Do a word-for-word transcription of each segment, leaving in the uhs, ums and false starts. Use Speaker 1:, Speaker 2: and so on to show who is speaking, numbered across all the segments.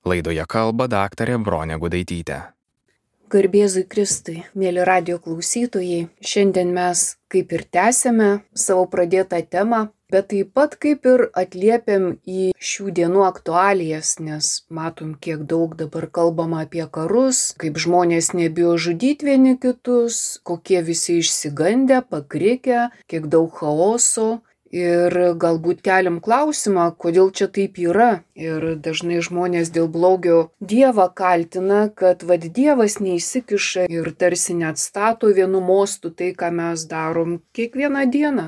Speaker 1: Laidoje kalba daktarė Bronė Gudaitytė.
Speaker 2: Garbėzui Kristui, mėly radio klausytojai, šiandien mes kaip ir tęsėme savo pradėtą temą, bet taip pat kaip ir atliepiam į šių dienų aktualijas, nes matom, kiek daug dabar kalbama apie karus, kaip žmonės nebijo žudyti vieni kitus, kokie visi išsigandę, pakrikę, kiek daug chaoso. Ir galbūt keliam klausimą, kodėl čia taip yra. Ir dažnai žmonės dėl blogio Dievą kaltina, kad vad Dievas neįsikiša ir tarsi neatstato vienu mostu tai, ką mes darom kiekvieną dieną.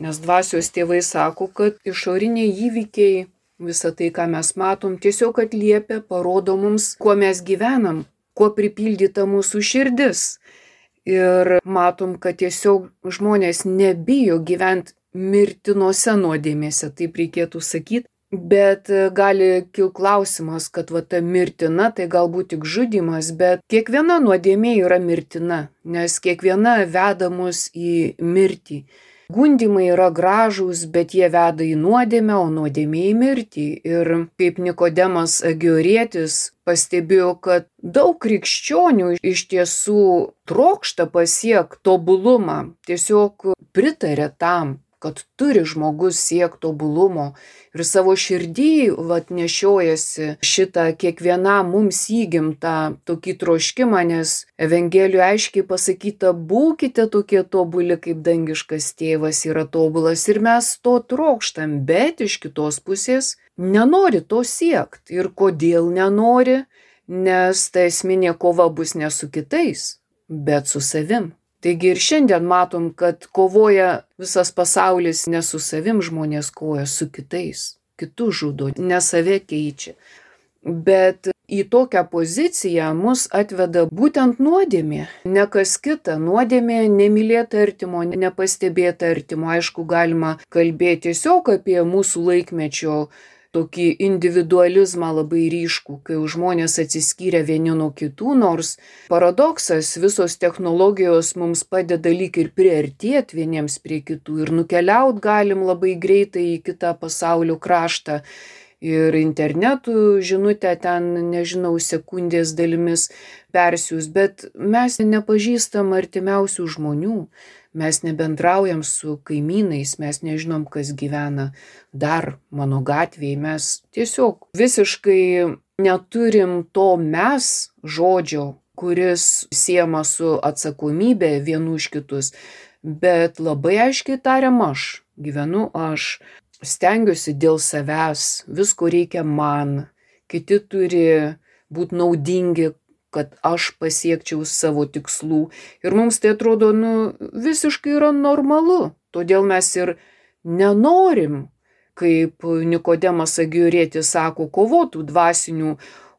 Speaker 2: Nes dvasios tėvai sako, kad išoriniai įvykiai, visa tai, ką mes matom, tiesiog atliepia, parodo mums, kuo mes gyvenam, kuo pripildyta mūsų širdis. Ir matom, kad tiesiog žmonės nebijo gyventi mirtinose nuodėmėse, taip reikėtų sakyti, bet gali kilti klausimas, kad va ta mirtina tai galbūt tik žudymas, bet kiekviena nuodėmė yra mirtina, nes kiekviena veda mus į mirtį. Gundymai yra gražūs, bet jie veda į nuodėmę, o nuodėmė į mirtį. Ir kaip Nikodemas Agiorietis pastebėjo, kad daug krikščionių iš tiesų trokšta pasiekti tobulumą, tiesiog pritarė tam, kad turi žmogus siekti tobulumo ir savo širdį vat nešiojasi šitą kiekvienam mums įgimtą tokį troškimą, nes Evangelijoje aiškiai pasakyta, būkite tokie tobuli, kaip dangiškas tėvas yra tobulas, ir mes to trokštam, bet iš kitos pusės nenori to siekti. Ir kodėl nenori? Nes ta esminė kova bus ne su kitais, bet su savim. Taigi ir šiandien matom, kad kovoja visas pasaulis ne su savim, žmonės kovoja su kitais, kitus žudo, ne save keičia. Bet į tokią poziciją mus atveda būtent nuodėmė, ne kas kita. Nuodėmė nemylėta artimo, nepastebėta artimo. Aišku, galima kalbėti tiesiog apie mūsų laikmečio tokį individualizmą labai ryškų, kai žmonės atsiskyrė vieni nuo kitų, nors paradoksas, visos technologijos mums padeda lyg ir priartėti vieniems prie kitų ir nukeliaut galim labai greitai į kitą pasaulio kraštą. Ir internetu žinutę ten, nežinau, sekundės dalimis persiūs, bet mes nepažįstam artimiausių žmonių. Mes nebendraujam su kaimynais, mes nežinom, kas gyvena dar mano gatvėje, mes tiesiog visiškai neturim to mes žodžio, kuris siejama su atsakomybė vienų už kitus, bet labai aiškiai tariam aš, gyvenu aš, stengiuosi dėl savęs, visko reikia man, kiti turi būti naudingi, kad aš pasiekčiau savo tikslų. Ir mums tai atrodo, nu, visiškai yra normalu. Todėl mes ir nenorim, kaip Nikodemas Agiorietis sako, kovotų dvasinių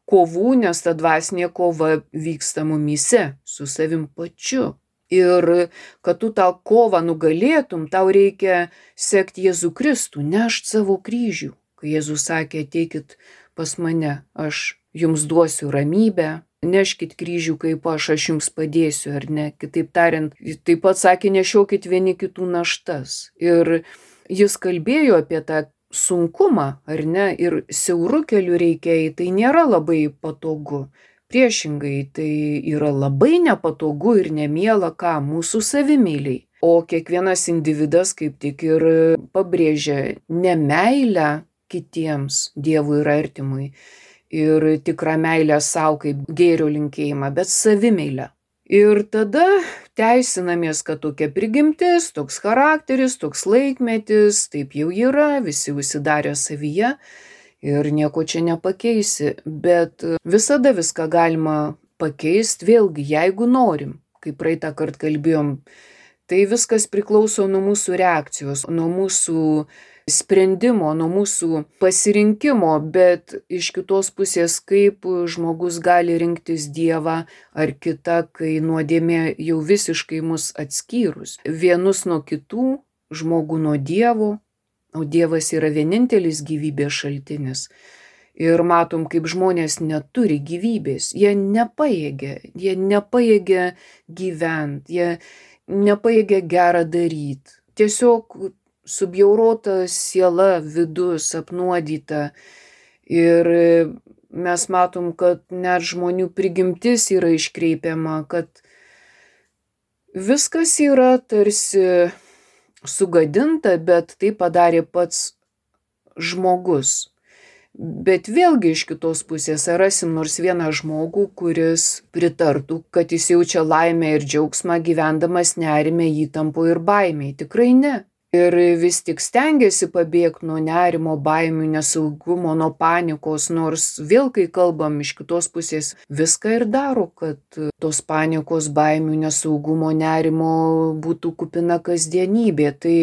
Speaker 2: kovų, nes ta dvasinė kova vyksta mumyse, su savim pačiu. Ir kad tu tą kovą nugalėtum, tau reikia sekti Jėzų Kristų, nešt savo kryžių. Kai Jėzus sakė, ateikit pas mane, aš jums duosiu ramybę, neškit kryžių kaip aš, aš jums padėsiu, ar ne? Kitaip tariant, taip pat sakė, nešiokit vieni kitų naštas. Ir jis kalbėjo apie tą sunkumą, ar ne? Ir siaurų kelių reikia, tai nėra labai patogu. Priešingai, tai yra labai nepatogu ir nemiela, ką mūsų savimyliai. O kiekvienas individas kaip tik ir pabrėžia ne meilę kitiems, Dievui ir artimui, ir tikrą meilę savo kaip gėrio linkėjimą, bet savimeilę. Ir tada teisinamės, kad tokia prigimtis, toks charakteris, toks laikmetis, taip jau yra, visi užsidarė savyje ir nieko čia nepakeisi. Bet visada viską galima pakeisti, vėlgi, jeigu norim. Kaip praeitą kartą kalbėjom, tai viskas priklauso nuo mūsų reakcijos, nuo mūsų sprendimo, nuo mūsų pasirinkimo, bet iš kitos pusės, kaip žmogus gali rinktis Dievą ar kitą, kai nuodėmė jau visiškai mus atskyrus. Vienus nuo kitų, žmogų nuo Dievo, o Dievas yra vienintelis gyvybės šaltinis. Ir matom, kaip žmonės neturi gyvybės, jie nepajėgia, jie nepajėgia gyventi, jie nepajėgia gerą daryti. Tiesiog subjaurota siela, vidus apnuodyta. Ir mes matom, kad net žmonių prigimtis yra iškreipiama, kad viskas yra tarsi sugadinta, bet tai padarė pats žmogus. Bet vėlgi iš kitos pusės rasim nors vieną žmogų, kuris pritartų, kad jis jaučia laimę ir džiaugsmą gyvendamas nerime, įtampo ir baimiai. Tikrai ne. Ir vis tik stengiasi pabėgti nuo nerimo, baimių, nesaugumo, nuo panikos, nors vėl, kai kalbam iš kitos pusės, viską ir daro, kad tos panikos, baimių, nesaugumo, nerimo būtų kupina kasdienybė. Tai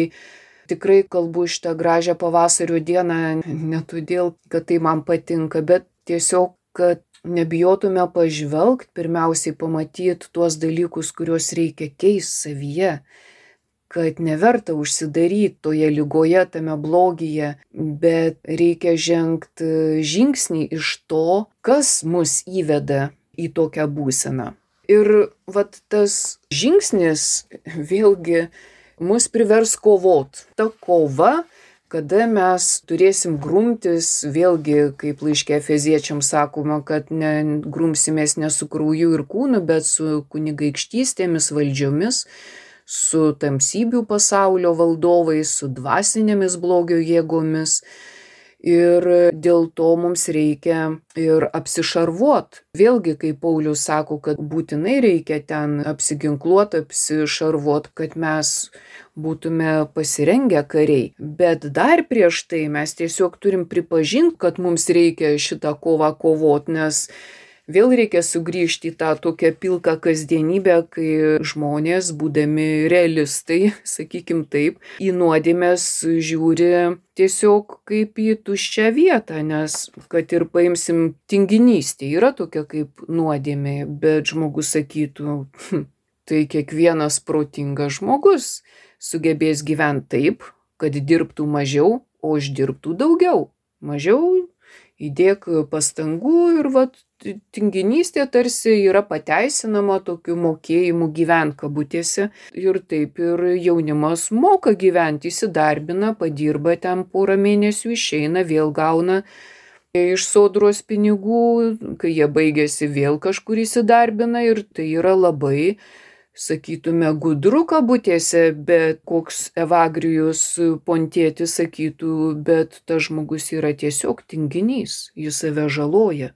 Speaker 2: tikrai kalbu šitą gražią pavasario dieną ne todėl, kad tai man patinka, bet tiesiog, kad nebijotume pažvelgti, pirmiausiai pamatyti tuos dalykus, kuriuos reikia keisti savyje, kad neverta užsidaryti toje lygoje, tame blogyje, bet reikia žengti žingsnį iš to, kas mus įveda į tokią būseną. Ir vat tas žingsnis vėlgi mus privers kovot. Ta kova, kada mes turėsim grumtis, vėlgi, kaip laiške Efeziečiams sakoma, kad ne, grumsimės ne su krauju ir kūnu, bet su kunigaikštystėmis, valdžiomis, su tamsybių pasaulio valdovais, su dvasinėmis blogio jėgomis. Ir dėl to mums reikia ir apsišarvuot. Vėlgi, kaip Paulius sako, kad būtinai reikia ten apsiginkluot, apsišarvuot, kad mes būtume pasirengę kariai. Bet dar prieš tai mes tiesiog turim pripažinti, kad mums reikia šitą kovą kovot, nes vėl reikia sugrįžti į tą tokią pilką kasdienybę, kai žmonės, būdami realistai, sakykim taip, į nuodėmes žiūri tiesiog kaip į tuščią vietą, nes kad ir paimsim tinginystę, yra tokia kaip nuodėmė, bet žmogus sakytų, hm, tai kiekvienas protingas žmogus sugebės gyventi taip, kad dirbtų mažiau, o uždirbtų daugiau. Mažiau įdėk pastangų ir vat tinginystė tarsi yra pateisinama tokiu mokėjimu gyvent kabutėse. Ir taip ir jaunimas moka gyventi, įsidarbina, padirba ten porą mėnesių, išeina, vėl gauna iš sodros pinigų, kai jie baigėsi vėl kažkur įsidarbina ir tai yra labai, sakytume, gudru kabutėse, bet koks Evagrijus Pontietis sakytų, bet tas žmogus yra tiesiog tinginys, jis save žaloja.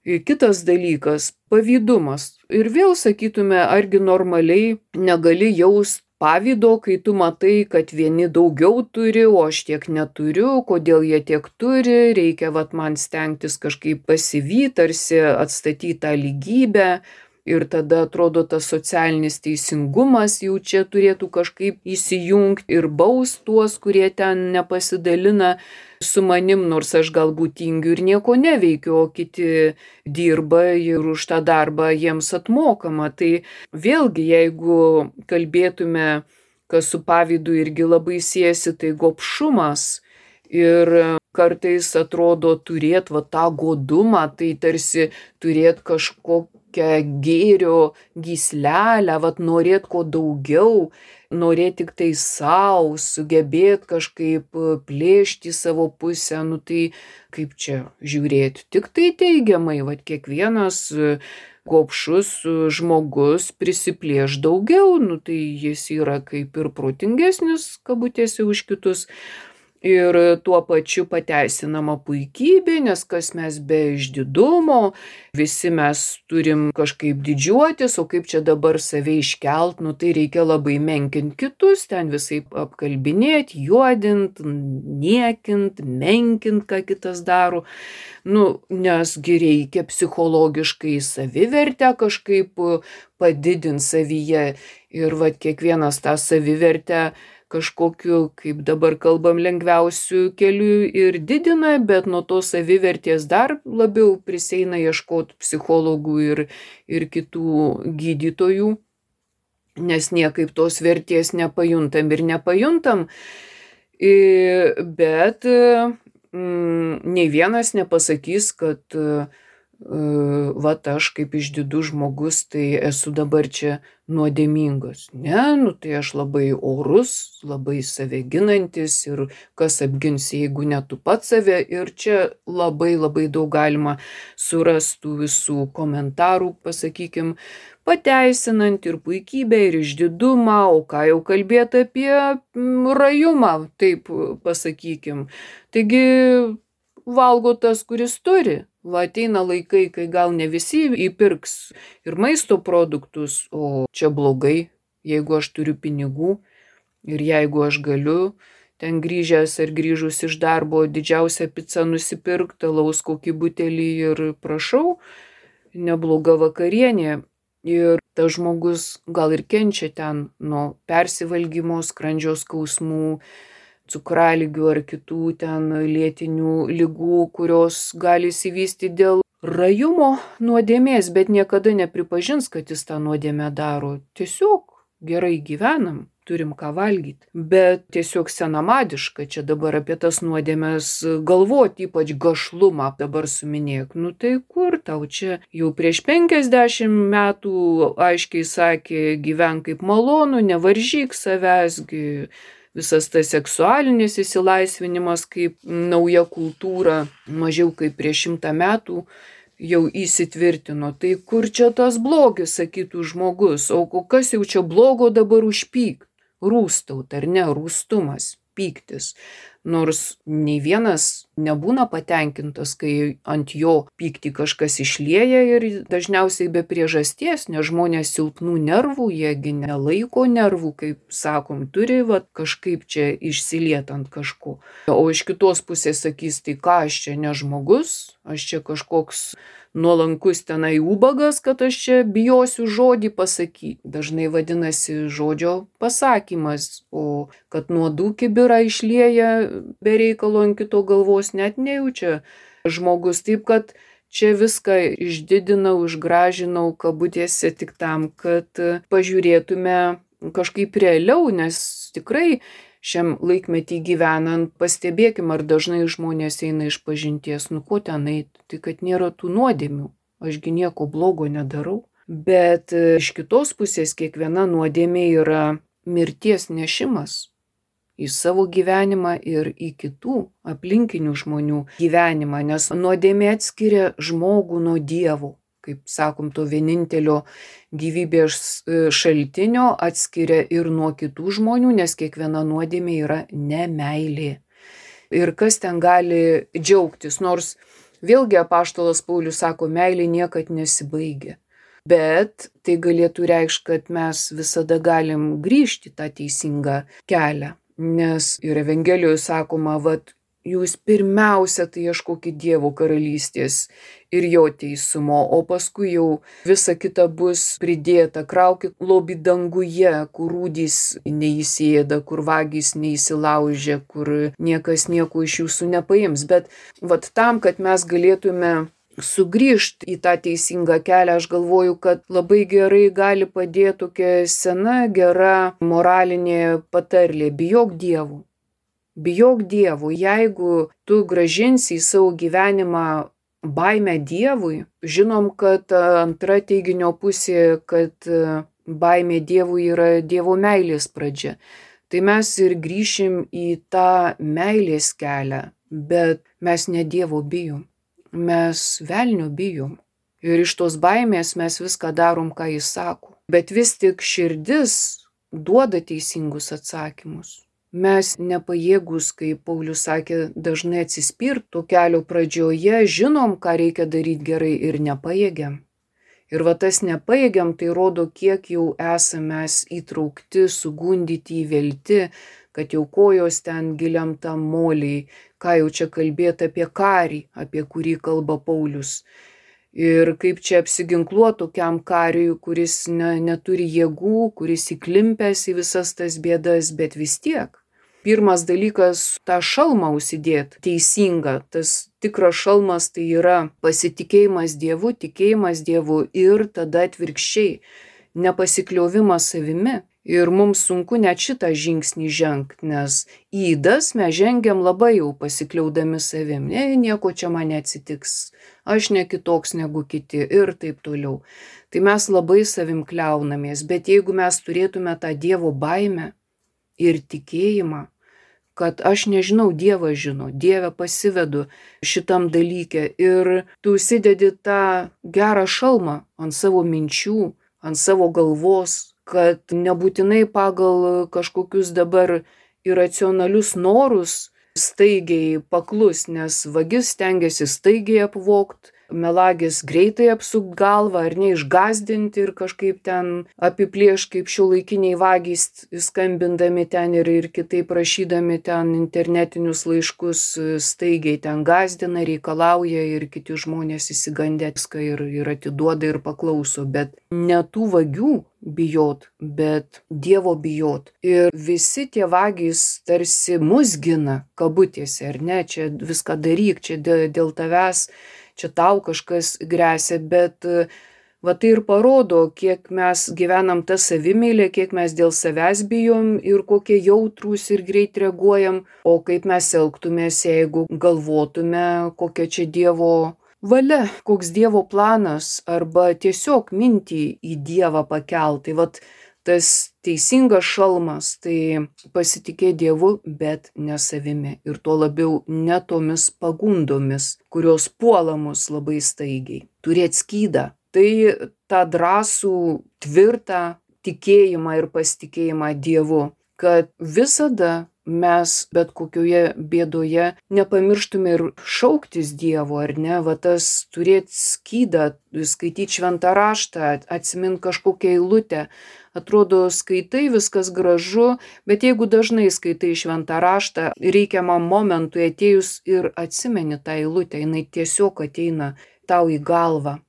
Speaker 2: Kitas dalykas – pavydumas. Ir vėl sakytume, argi normaliai negali jaust pavydo, kai tu matai, kad vieni daugiau turi, o aš tiek neturiu, kodėl jie tiek turi, reikia vat man stengtis kažkaip pasivyti, tarsi atstatyti tą lygybę. Ir tada atrodo tas socialinis teisingumas jau čia turėtų kažkaip įsijungti ir baust tuos, kurie ten nepasidalina su manim, nors aš galbūt tingiu ir nieko neveikiu, o kiti dirba ir už tą darbą jiems atmokama. Tai vėlgi, jeigu kalbėtume, kas su pavydu irgi labai siejasi, tai gobšumas. Ir kartais atrodo turėt va tą godumą, tai tarsi turėt kažko gėrio gyslelę, vat norėt ko daugiau, norėt tik tai savo, sugebėt kažkaip plėšti savo pusę, nu tai kaip čia žiūrėti, tik tai teigiamai, vat kiekvienas gobšus žmogus prisiplėš daugiau, nu tai jis yra kaip ir protingesnis, kabutėse, už kitus. Ir tuo pačiu pateisinama puikybė, nes kas mes be išdidumo, visi mes turim kažkaip didžiuotis, o kaip čia dabar save iškelt, nu tai reikia labai menkint kitus, ten visai apkalbinėt, juodint, niekint, menkint, ką kitas daro. Nu, nesgi reikia psichologiškai savivertę kažkaip padidinti savyje ir vat kiekvienas tą savivertę kažkokiu, kaip dabar kalbam, lengviausiu keliu ir didina, bet nuo to savivertės dar labiau prisieina ieškoti psichologų ir, ir kitų gydytojų, nes niekaip tos vertės nepajuntam ir nepajuntam, bet mm, nei vienas nepasakys, kad vat aš kaip išdidus žmogus, tai esu dabar čia nuodėmingas. Ne, nu tai aš labai orus, labai save ginantis ir kas apgins, jeigu ne tu pats save. Ir čia labai labai daug galima surastų visų komentarų, pasakykim, pateisinant ir puikybę, ir išdidumą, o ką jau kalbėti apie rajumą, taip pasakykim. Taigi valgo tas, kuris turi. Va ateina laikai, kai gal ne visi įpirks ir maisto produktus, o čia blogai, jeigu aš turiu pinigų ir jeigu aš galiu ten grįžęs ar grįžus iš darbo didžiausią pizzą nusipirkti, alaus kokį butelį ir prašau, nebloga vakarienė. Ir tas žmogus gal ir kenčia ten nuo persivalgymo, skrandžio skausmų, cukralygių ar kitų ten lėtinių ligų, kurios gali įsivystyti dėl rajumo nuodėmės, bet niekada nepripažins, kad jis tą nuodėmę daro. Tiesiog gerai gyvenam, turim ką valgyti. Bet tiesiog senamadiška čia dabar apie tas nuodėmės galvoti, ypač gašlumą dabar suminėk. Nu tai kur tau čia jau prieš penkiasdešimt metų aiškiai sakė, gyvenk kaip malonu, nevaržyk savęsgi. Visas tas seksualinis įsilaisvinimas kaip nauja kultūra mažiau kaip prieš šimtą metų jau įsitvirtino. Tai kur čia tas blogis, sakytų žmogus, o kas jau čia blogo dabar užpykt? Rūstaut, ar ne, rūstumas, pyktis. Nors nei vienas nebūna patenkintas, kai ant jo pyktį kažkas išlieja ir dažniausiai be priežasties, nes žmonės silpnų nervų, jiegi nelaiko nervų, kaip sakom, turi va, kažkaip čia išsiliet ant kažko. O iš kitos pusės sakys, tai ką aš čia ne žmogus, aš čia kažkoks nuolankus tenai ubagas, kad aš čia bijosiu žodį pasakyti. Dažnai vadinasi žodžio pasakymas, o kad nuodų kibirą išlieja be reikalo ant kito galvos net nejaučia žmogus. Taip kad čia viską išdidinau, išgražinau kabutėse tik tam, kad pažiūrėtume kažkaip realiau, nes tikrai šiam laikmetį gyvenant, pastebėkim, ar dažnai žmonės eina iš pažinties, nu ko ten eit, tai kad nėra tų nuodėmių, ašgi nieko blogo nedarau. Bet iš kitos pusės kiekviena nuodėmė yra mirties nešimas į savo gyvenimą ir į kitų aplinkinių žmonių gyvenimą, nes nuodėmė atskiria žmogų nuo Dievo. Kaip sakom, to vienintelio gyvybės šaltinio atskiria ir nuo kitų žmonių, nes kiekviena nuodėmė yra nemeilė. Ir kas ten gali džiaugtis, nors vėlgi apaštalas Paulius sako, meilė niekad nesibaigia. Bet tai galėtų reikšti, kad mes visada galim grįžti tą teisingą kelią, nes ir Evangelijoje sakoma, vat, jūs pirmiausia tai ieškokit Dievo karalystės ir jo teisumo, o paskui jau visa kita bus pridėta. Kraukit lobį danguje, kur rūdys neįsėda, kur vagys neįsilaužia, kur niekas nieko iš jūsų nepaims. Bet vat tam, kad mes galėtume sugrįžti į tą teisingą kelią, aš galvoju, kad labai gerai gali padėti tokia sena, gera moralinė patarlė. Bijok Dievo. Bijok Dievo, jeigu tu grąžinsi į savo gyvenimą baimę Dievui, žinom, kad antra teiginio pusė, kad baimė Dievui yra Dievo meilės pradžia. Tai mes ir grįšim į tą meilės kelią, bet mes ne Dievo bijom, mes velnio bijom. Ir iš tos baimės mes viską darom, ką jis sako. Bet vis tik širdis duoda teisingus atsakymus. Mes nepajėgus, kaip Paulius sakė, dažnai atsispirt to kelio pradžioje, žinom, ką reikia daryti gerai ir nepajėgiam. Ir va tas nepajėgiam, tai rodo, kiek jau esame įtraukti, sugundyti, įvelti, kad jau kojos ten giliam tam moliai, ką jau čia kalbėti apie karį, apie kurį kalba Paulius. Ir kaip čia apsiginkluoti tokiam kariui, kuris ne, neturi jėgų, kuris įklimpęs į visas tas bėdas, bet vis tiek. Pirmas dalykas - tą šalmą užsidėti teisingą. Tas tikras šalmas tai yra pasitikėjimas Dievu, tikėjimas Dievu ir tada atvirkščiai nepasikliovimas savimi. Ir mums sunku net šitą žingsnį žengti, nes į ydas mes žengiam labai jau pasikliaudami savim. Ne, nieko čia man neatsitiks, aš ne kitoks negu kiti ir taip toliau. Tai mes labai savim kliaunamės, bet jeigu mes turėtume tą Dievo baimę ir tikėjimą, kad aš nežinau, Dievas žino, Dieve pasivedu šitam dalyke ir tu užsidedi tą gerą šalmą ant savo minčių, ant savo galvos, kad nebūtinai pagal kažkokius dabar iracionalius norus staigiai paklus, nes vagis stengiasi staigiai apvogt, melagis greitai apsukt galvą ar neišgazdinti ir kažkaip ten apiplėš kaip šiuolaikiniai vagys, skambindami ten ir, ir kitaip rašydami ten internetinius laiškus, staigiai ten gazdina, reikalauja ir kiti žmonės įsigandę viską ir, ir atiduoda ir paklauso, bet ne tų vagių bijot, bet Dievo bijot. Ir visi tie vagys tarsi mus gina, kabutėse, ar ne, čia viską daryk, čia dėl, dėl tavęs, čia tau kažkas gresia, bet va tai ir parodo, kiek mes gyvenam tą savimeilę, kiek mes dėl savęs bijom ir kokie jautrūs ir greit reaguojam, o kaip mes elgtumės, jeigu galvotume, kokia čia Dievo valia, koks Dievo planas, arba tiesiog mintį į Dievą pakelt. Tai vat tas teisingas šalmas, tai pasitikėti Dievu, bet ne savimi. Ir tuo labiau ne tomis pagundomis, kurios puola mus labai staigiai. Turėti skydą. Tai tą drąsų, tvirtą tikėjimą ir pasitikėjimą Dievu, kad visada mes bet kokioje bėdoje nepamirštume ir šauktis Dievo, ar ne, va tas turėti skydą, skaityti šventą raštą, atsimint kažkokią eilutę. Atrodo, skaitai, viskas gražu, bet jeigu dažnai skaitai šventą raštą, reikiamam momentui atėjus ir atsimeni tą eilutę, jinai tiesiog ateina tau į galvą.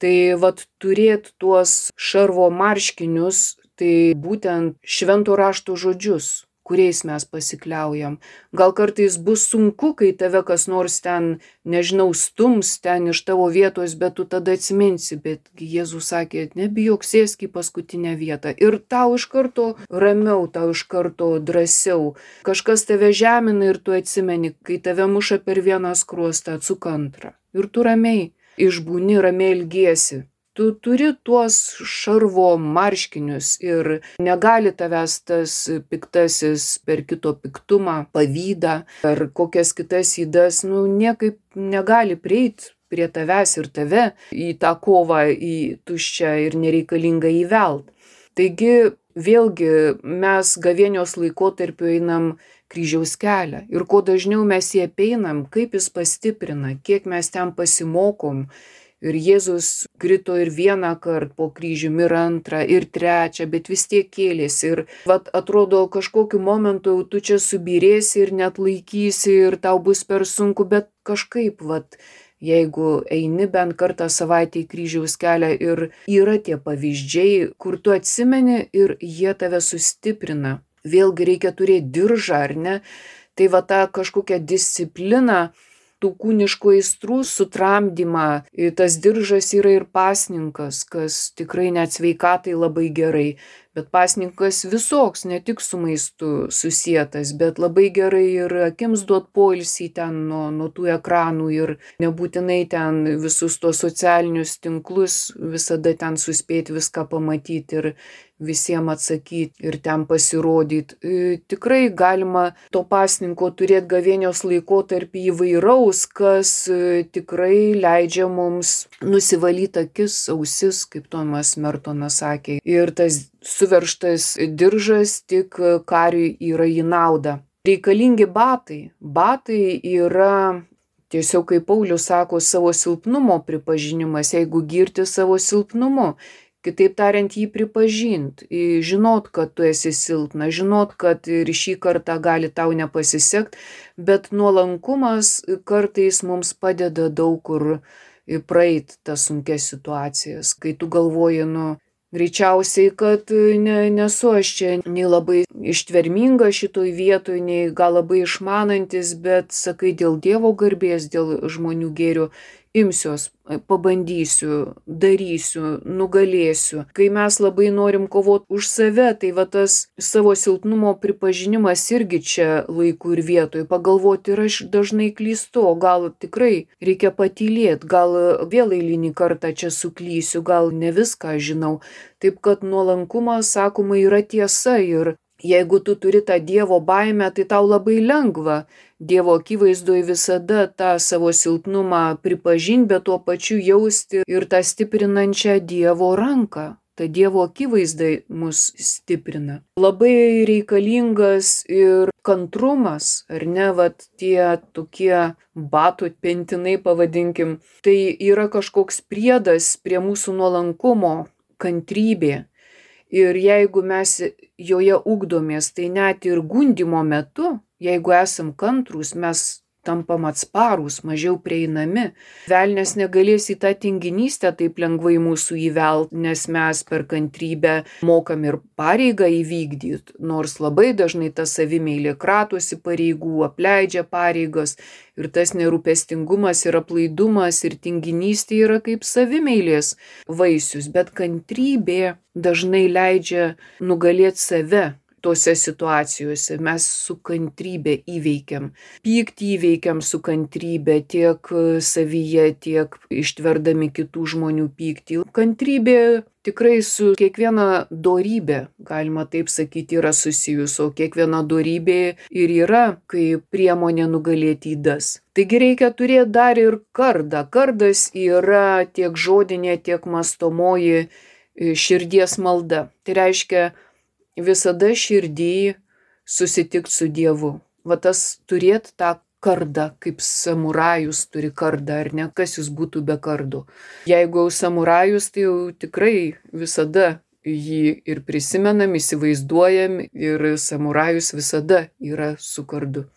Speaker 2: Tai vat turėti tuos šarvo marškinius, tai būtent švento rašto žodžius, kuriais mes pasikliaujam. Gal kartais bus sunku, kai tave kas nors ten, nežinau, stums ten iš tavo vietos, bet tu tada atsiminsi, bet Jėzus sakė, nebijok, sėsk į paskutinę vietą. Ir tau iš karto ramiau, tau iš karto drąsiau. Kažkas tave žemina ir tu atsimeni, kai tave muša per vieną skruostą, atsuk antrą. Ir tu ramiai išbūni, ramiai ilgiesi. Tu turi tuos šarvo marškinius ir negali tavęs tas piktasis per kito piktumą, pavydą ar kokias kitas ydas, nu niekaip negali prieiti prie tavęs ir tave į tą kovą, į tuščią ir nereikalingą įvelt. Taigi vėlgi mes gavėnios laikotarpiu einam kryžiaus kelią ir kuo dažniau mes jį apeinam, kaip jis pastiprina, kiek mes ten pasimokom. Ir Jėzus krito ir vieną kartą po kryžiumi, ir antrą, ir trečią, bet vis tiek kėlėsi. Ir vat atrodo, kažkokiu momentu tu čia subirėsi ir net laikysi ir tau bus per sunku, bet kažkaip, vat, jeigu eini bent kartą savaitę į kryžiaus kelią ir yra tie pavyzdžiai, kur tu atsimeni ir jie tave sustiprina. Vėlgi reikia turėti diržą, ar ne? Tai va ta kažkokia disciplina, tų kūniškų aistrų sutramdymą. Tas diržas yra ir pasninkas, kas tikrai net sveikatai labai gerai. Bet pasninkas visoks, ne tik su maistu susietas, bet labai gerai ir akims duot poilsį ten nuo, nuo tų ekranų ir nebūtinai ten visus tos socialinius tinklus visada ten suspėti viską pamatyti ir visiems atsakyti ir ten pasirodyti. Tikrai galima to pasninko turėti gavėnios laikotarpį įvairaus, kas tikrai leidžia mums nusivalyti akis, ausis, kaip Tomas Mertonas sakė. Ir tas suveržtas diržas tik kariui yra į naudą. Reikalingi batai. Batai yra tiesiog, kaip Paulius sako, savo silpnumo pripažinimas, jeigu girti savo silpnumu. Kitaip tariant, jį pripažint, žinot, kad tu esi silpna, žinot, kad ir šį kartą gali tau nepasisekti, bet nuolankumas kartais mums padeda daug kur praeit tas sunkias situacijas, kai tu galvoji, nu, greičiausiai, kad ne, nesu aš čia nei labai ištverminga šitoj vietoj, nei gal labai išmanantis, bet sakai dėl Dievo garbės, dėl žmonių gėrio, imsiuos, pabandysiu, darysiu, nugalėsiu. Kai mes labai norim kovoti už save, tai va tas savo silpnumo pripažinimas irgi čia laiku ir vietoj. Pagalvoti, ir aš dažnai klystu, o gal tikrai reikia patylėti, gal vėl eilinį kartą čia suklysiu, gal ne viską žinau. Taip kad nuolankumas, sakoma, yra tiesa ir jeigu tu turi tą Dievo baimę, tai tau labai lengva Dievo akivaizdoje visada tą savo silpnumą pripažinti, bet tuo pačiu jausti ir tą stiprinančią Dievo ranką. Ta Dievo akivaizdai mus stiprina. Labai reikalingas ir kantrumas, ar ne, vat tie tokie batų pentinai pavadinkim, tai yra kažkoks priedas prie mūsų nuolankumo, kantrybė. Ir jeigu mes joje ugdomės, tai net ir gundymo metu, jeigu esam kantrūs, mes tampam atsparūs, mažiau prieinami. Velnias negalės į tą tinginystę taip lengvai mūsų įvelt, nes mes per kantrybę mokam ir pareigą įvykdyti, nors labai dažnai ta savimeilė kratosi pareigų, apleidžia pareigas ir tas nerūpestingumas ir aplaidumas ir tinginystė yra kaip savimeilės vaisius, bet kantrybė dažnai leidžia nugalėti save. Tose situacijose mes su kantrybė įveikiam. Pyktį įveikiam su kantrybė tiek savyje, tiek ištverdami kitų žmonių pyktį. Kantrybė tikrai su kiekviena dorybė, galima taip sakyti, yra susijus, o kiekviena dorybė ir yra kaip priemonė nugalėti ydas. Taigi reikia turėti dar ir kardą. Kardas yra tiek žodinė, tiek mąstomoji širdies malda. Tai reiškia, visada širdį susitikti su Dievu. Va tas turėti tą kardą, kaip samurajus turi kardą, ar ne, kas jis būtų be kardo. Jeigu jau samurajus, tai jau tikrai visada jį ir prisimenam, įsivaizduojam ir samurajus visada yra su kardu.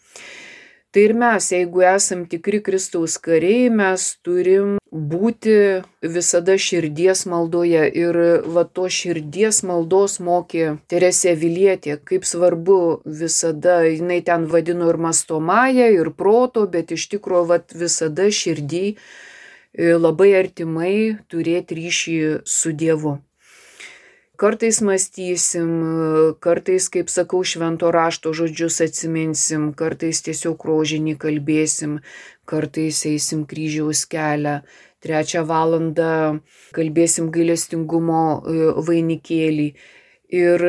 Speaker 2: Tai ir mes, jeigu esam tikri Kristaus kariai, mes turim būti visada širdies maldoje. Ir va to širdies maldos mokė Teresė Avilietė, kaip svarbu visada, jinai ten vadino ir mąstomąją, ir proto, bet iš tikrųjų va visada širdį labai artimai turėti ryšį su Dievu. Kartais mąstysim, kartais, kaip sakau, švento rašto žodžius atsiminsim, kartais tiesiog rožinį kalbėsim, kartais eisim kryžiaus kelią, trečią valandą kalbėsim gailestingumo vainikėlį. Ir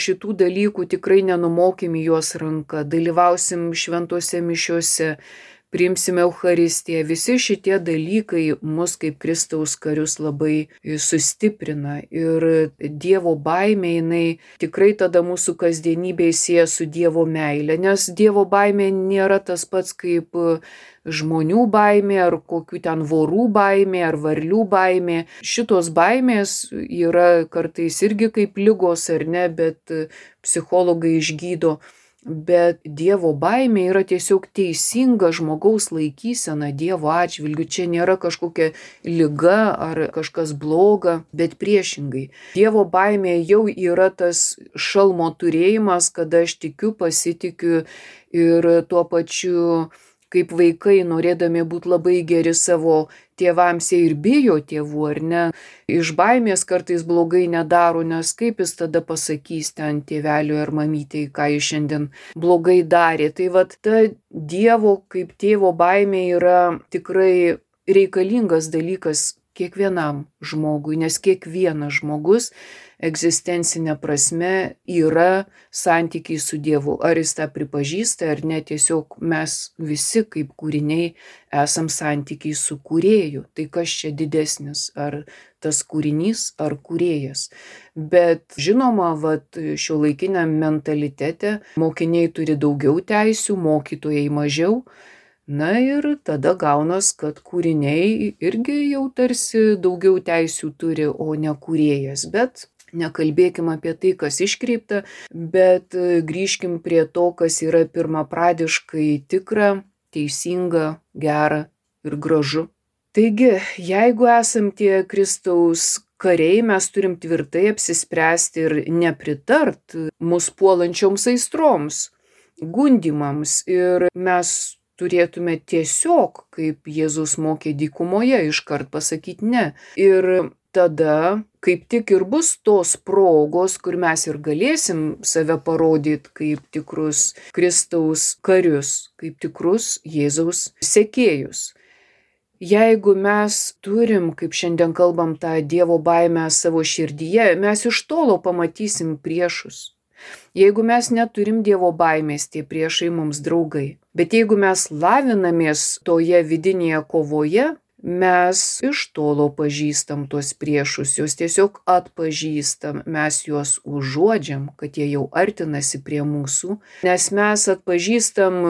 Speaker 2: šitų dalykų tikrai nenumokim į juos ranką, dalyvausim šventose mišiose, priimsime Eucharistiją. Visi šitie dalykai mus kaip Kristaus karius labai sustiprina. Ir Dievo baimė, jinai tikrai tada mūsų kasdienybėje sieja su Dievo meile, nes Dievo baimė nėra tas pats kaip žmonių baimė, ar kokių ten vorų baimė, ar varlių baimė. Šitos baimės yra kartais irgi kaip ligos, ar ne, bet psichologai išgydo. Bet Dievo baimė yra tiesiog teisinga žmogaus laikysena Dievo atžvilgiu. Čia nėra kažkokia liga ar kažkas bloga, bet priešingai. Dievo baimė jau yra tas šalmo turėjimas, kada aš tikiu, pasitikiu ir tuo pačiu, kaip vaikai, norėdami būti labai geri savo tėvams, jie ir bijo tėvų, ar ne? Iš baimės kartais blogai nedaro, nes kaip jis tada pasakys ten tėveliui ar mamytei, ką jis šiandien blogai darė. Tai vat ta Dievo kaip tėvo baimė yra tikrai reikalingas dalykas kiekvienam žmogui, nes kiekvienas žmogus egzistencinė prasme yra santykiai su Dievu. Ar jis tą pripažįsta, ar ne, tiesiog mes visi kaip kūriniai esam santykiai su kūrėju. Tai kas čia didesnis, ar tas kūrinys, ar kūrėjas. Bet žinoma, vat, šiuolaikiniam mentalitete mokiniai turi daugiau teisių, mokytojai mažiau. Na ir tada gaunas, kad kūriniai irgi jau tarsi daugiau teisių turi, o ne kūrėjas. Bet nekalbėkim apie tai, kas iškreipta, bet grįžkim prie to, kas yra pirmapradiškai tikra, teisinga, gera ir gražu. Taigi, jeigu esam tie Kristaus kariai, mes turim tvirtai apsispręsti ir nepritart mus puolančioms aistroms, gundymams, ir mes turėtume tiesiog, kaip Jėzus mokė dykumoje, iškart pasakyti ne. Ir tada kaip tik ir bus tos progos, kur mes ir galėsim save parodyti kaip tikrus Kristaus karius, kaip tikrus Jėzaus sekėjus. Jeigu mes turim, kaip šiandien kalbam, tą Dievo baimę savo širdyje, mes iš tolo pamatysim priešus. Jeigu mes neturim Dievo baimės, tie priešai mums draugai. Bet jeigu mes lavinamės toje vidinėje kovoje, mes iš tolo pažįstam tuos priešus, juos tiesiog atpažįstam, mes juos užuodžiam, kad jie jau artinasi prie mūsų, nes mes atpažįstam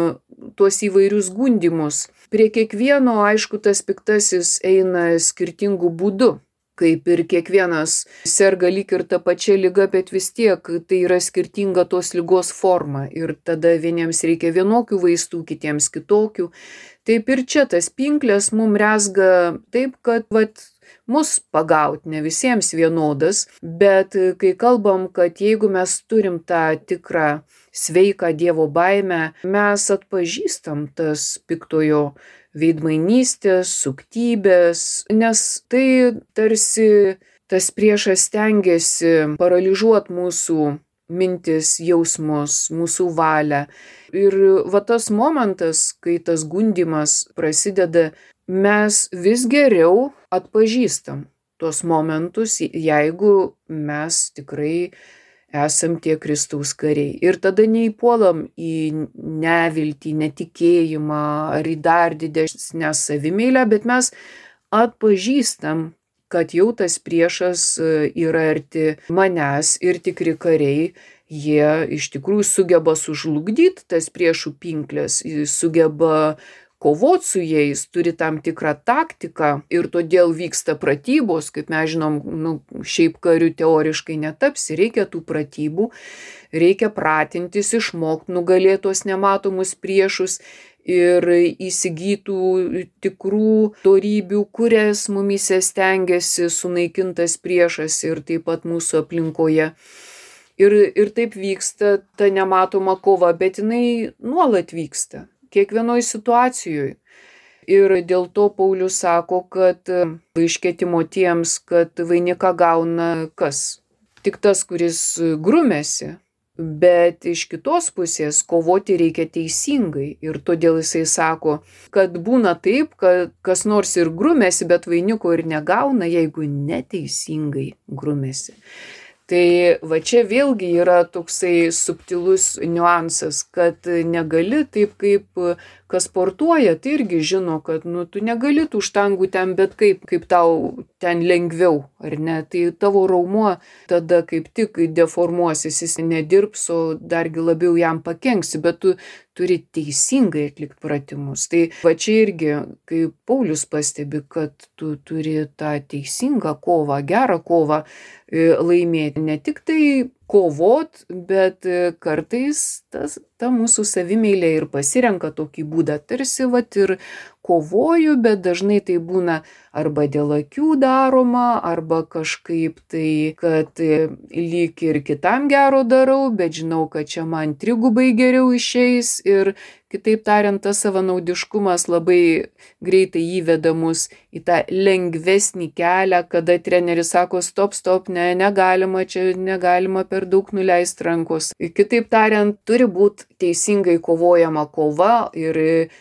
Speaker 2: tuos įvairius gundymus. Prie kiekvieno, aišku, tas piktasis eina skirtingų būdų. Kaip ir kiekvienas serga lyg ir ta pačia liga, bet vis tiek tai yra skirtinga tos ligos forma. Ir tada vieniems reikia vienokių vaistų, kitiems kitokių. Taip ir čia tas pinklės mum rezga taip, kad vat, mus pagaut ne visiems vienodas, bet kai kalbam, kad jeigu mes turim tą tikrą sveiką Dievo baimę, mes atpažįstam tas piktojo veidmainystės, suktybės, nes tai tarsi tas priešas stengiasi paralyžiuoti mūsų mintis, jausmus, mūsų valią. Ir va tas momentas, kai tas gundymas prasideda, mes vis geriau atpažįstam tuos momentus, jeigu mes tikrai esam tie Kristaus kariai. Ir tada neįpuolam į neviltį, netikėjimą ar į dar didesnę savimeilę, bet mes atpažįstam, kad jau tas priešas yra arti manęs ir tikri kariai, jie iš tikrųjų sugeba sužlugdyti tas priešų pinklės, sugeba kovot su jais, turi tam tikrą taktiką ir todėl vyksta pratybos, kaip mes žinom, nu, šiaip kariu teoriškai netapsi, reikia tų pratybų, reikia pratintis, išmokti nugalėti tuos nematomus priešus ir įsigytų tikrų dorybių, kurias mumyse stengiasi sunaikintas priešas ir taip pat mūsų aplinkoje. Ir, ir taip vyksta ta nematoma kova, bet jinai nuolat vyksta. Kiekvienoj situacijoje. Ir dėl to Paulius sako, kad iškvietimo tiems, kad vainiką gauna kas? Tik tas, kuris grumėsi. Bet iš kitos pusės kovoti reikia teisingai. Ir todėl jisai sako, kad būna taip, kad kas nors ir grumėsi, bet vainiko ir negauna, jeigu neteisingai grumėsi. Tai va čia vėlgi yra toksai subtilus niuansas, kad negali taip kaip kas sportuoja, tai irgi žino, kad nu, tu negali tų štangų ten bet kaip, kaip tau ten lengviau, ar ne? Tai tavo raumuo tada kaip tik deformuosis, jis nedirbs, o dargi labiau jam pakenksi, bet tu turi teisingai atlikti pratimus. Tai va čia irgi, kai Paulius pastebi, kad tu turi tą teisingą kovą, gerą kovą laimėti, ne tik tai kovot, bet kartais tas, ta mūsų savimeilė ir pasirenka tokį būdą, tarsi vat ir kovoju, bet dažnai tai būna arba dėl akių daroma, arba kažkaip tai, kad lyg ir kitam gero darau, bet žinau, kad čia man trigubai geriau išeis ir kitaip tariant, tas savanaudiškumas labai greitai įveda mus į tą lengvesnį kelią, kada treneris sako stop, stop, ne, negalima, čia negalima per daug nuleisti rankos. Kitaip tariant, turi būti teisingai kovojama kova ir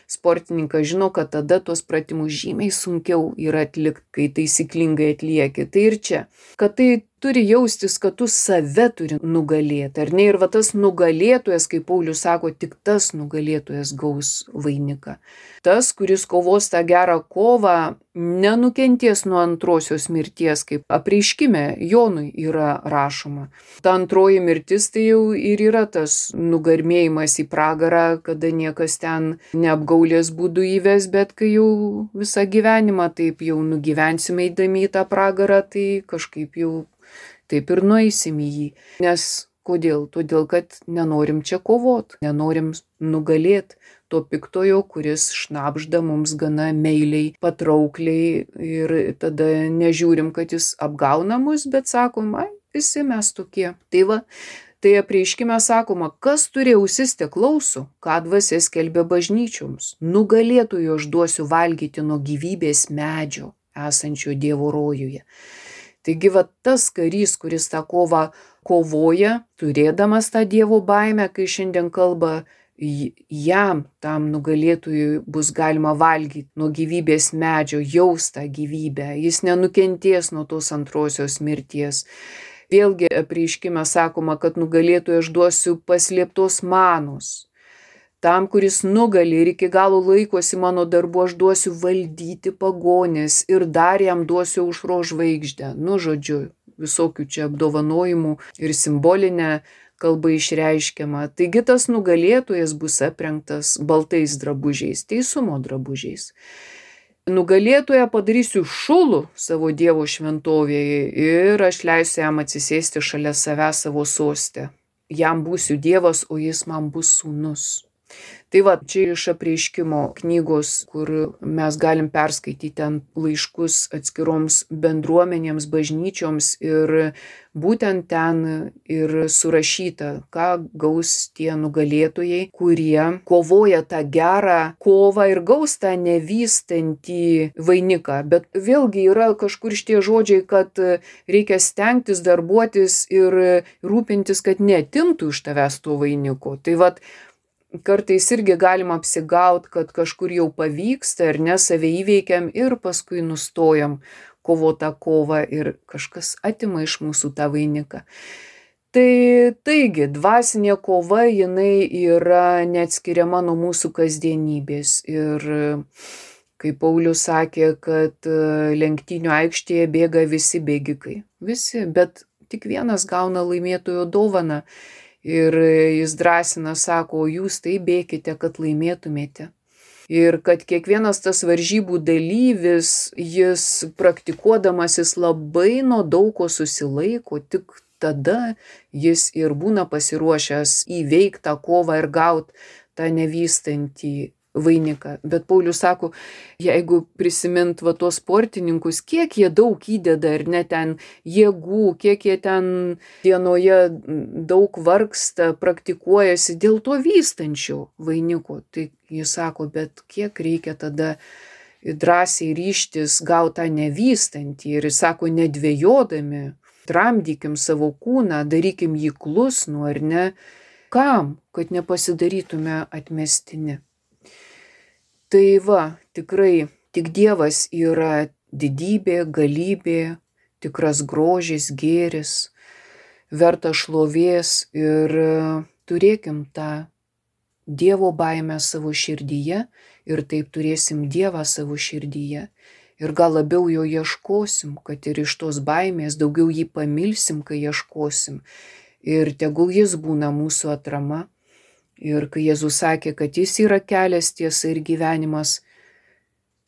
Speaker 2: sportininkas žino, kad tada tuos pratimus žymiai sunkiau yra atlikti, kai taisyklingai atlieki. Tai ir čia, kad tai turi jaustis, kad tu save turi nugalėti, ar ne? Ir va tas nugalėtojas, kaip Paulius sako, tik tas nugalėtojas gaus vainiką. Tas, kuris kovos tą gerą kovą, nenukenties nuo antrosios mirties, kaip apreiškime Jonui yra rašoma. Ta antroji mirtis tai jau ir yra tas nugarmėjimas į pragarą, kada niekas ten neapgaulės būdų įves, bet kai jau visą gyvenimą taip jau nugyvensime eidami į tą pragarą, tai kažkaip jau taip ir nueisim į jį. Nes kodėl? Todėl, kad nenorim čia kovot, nenorim nugalėti to piktojo, kuris šnabžda mums gana meiliai, patraukliai ir tada nežiūrim, kad jis apgauna mus, bet sakom, ai, visi mes tokie. Tai va, Tai apreiškime sakoma, kas turi ausis te klauso, ką dvasia skelbia bažnyčioms. Nugalėtojų aš duosiu valgyti nuo gyvybės medžio, esančio Dievo rojuje. Taigi va tas karys, kuris tą kovą kovoja, turėdamas tą Dievo baimę, kai šiandien kalba, jam, tam nugalėtojui, bus galima valgyti nuo gyvybės medžio, jaus tą gyvybę, jis nenukentės nuo tos antrosios mirties. Vėlgi apreiškime sakoma, kad nugalėtojui aš duosiu paslėptos manos. Tam, kuris nugali ir iki galo laikosi mano darbu, aš duosiu valdyti pagonės ir dar jam duosiu aušros žvaigždę. Nu, žodžiu, visokių čia apdovanojimų ir simbolinę kalba išreiškiama. Taigi tas nugalėtojas bus aprengtas baltais drabužiais, teisumo drabužiais. Nugalėtoją padarysiu šulų savo Dievo šventovėje ir aš leisiu jam atsisėsti šalia savęs savo soste. Jam būsiu Dievas, o jis man bus sūnus. Tai va, čia iš apreiškimo knygos, kur mes galim perskaityti ten laiškus atskiroms bendruomenėms, bažnyčioms ir būtent ten ir surašyta, ką gaus tie nugalėtojai, kurie kovoja tą gerą kovą ir gaus tą nevystantį vainiką. Bet vėlgi yra kažkur šitie žodžiai, kad reikia stengtis, darbuotis ir rūpintis, kad neatimtų iš tavęs to vainiko. Tai va, kartais irgi galima apsigaut, kad kažkur jau pavyksta ir ne, save įveikiam ir paskui nustojam kovotą kovą ir kažkas atima iš mūsų tą vainiką. Tai taigi, dvasinė kova, jinai yra neatskiriama nuo mūsų kasdienybės. Ir kaip Paulius sakė, kad lenktynių aikštėje bėga visi bėgikai. Visi, bet tik vienas gauna laimėtojo dovaną. Ir jis drąsina, sako, jūs tai bėkite, kad laimėtumėte. Ir kad kiekvienas tas varžybų dalyvis, jis praktikuodamas, jis labai nuo daug ko susilaiko, tik tada jis ir būna pasiruošęs įveikti tą kovą ir gauti tą nevystantį vainiką. Bet Paulius sako, jeigu prisimint va tos sportininkus, kiek jie daug įdeda ir net ten jėgų, kiek jie ten dienoje daug vargsta, praktikuojasi dėl to vystančio vainiko. Tai jis sako, bet kiek reikia tada drąsiai ryžtis gauti tą nevystantį. Ir jis sako, nedvejodami, tramdykim savo kūną, darykim jį klusnų ar ne. Kam? Kad nepasidarytume atmestini. Tai va, tikrai, tik Dievas yra didybė, galybė, tikras grožis, gėris, verta šlovės ir turėkim tą Dievo baimę savo širdyje ir taip turėsim Dievą savo širdyje. Ir gal labiau jo ieškosim, kad ir iš tos baimės daugiau jį pamilsim, kai ieškosim. Ir tegul jis būna mūsų atrama. Ir kai Jėzus sakė, kad jis yra kelias, tiesa ir gyvenimas,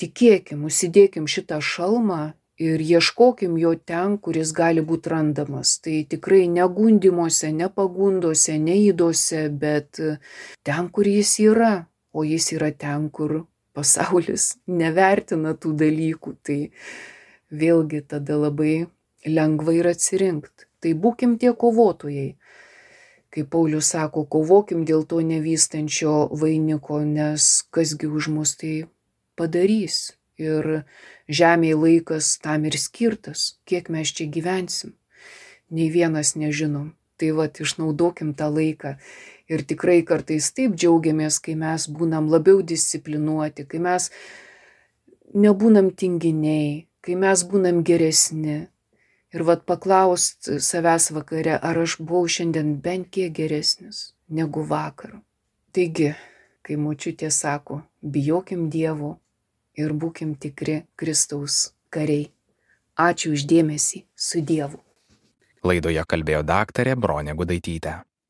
Speaker 2: tikėkim, užsidėkim šitą šalmą ir ieškokim jo ten, kuris gali būti randamas. Tai tikrai ne gundimuose, ne pagundose, ne įdose, bet ten, kur jis yra, o jis yra ten, kur pasaulis nevertina tų dalykų. Tai vėlgi tada labai lengva ir atsirinkti. Tai būkim tie kovotojai. Kaip Paulius sako, kovokim dėl to nevystančio vainiko, nes kasgi už mus tai padarys. Ir žemėje laikas tam ir skirtas, kiek mes čia gyvensim. Nei vienas nežinom. Tai vat, išnaudokim tą laiką. Ir tikrai kartais taip džiaugiamės, kai mes būnam labiau disciplinuoti, kai mes nebūnam tinginiai, kai mes būnam geresni. Ir vat paklaust savęs vakare, ar aš buvau šiandien bent kiek geresnis negu vakar. Taigi, kai močiutė sako, bijokim Dievo ir būkim tikri Kristaus kariai. Ačiū už dėmesį, su Dievu.
Speaker 1: Laidoje kalbėjo daktarė Bronė Gudaitytė.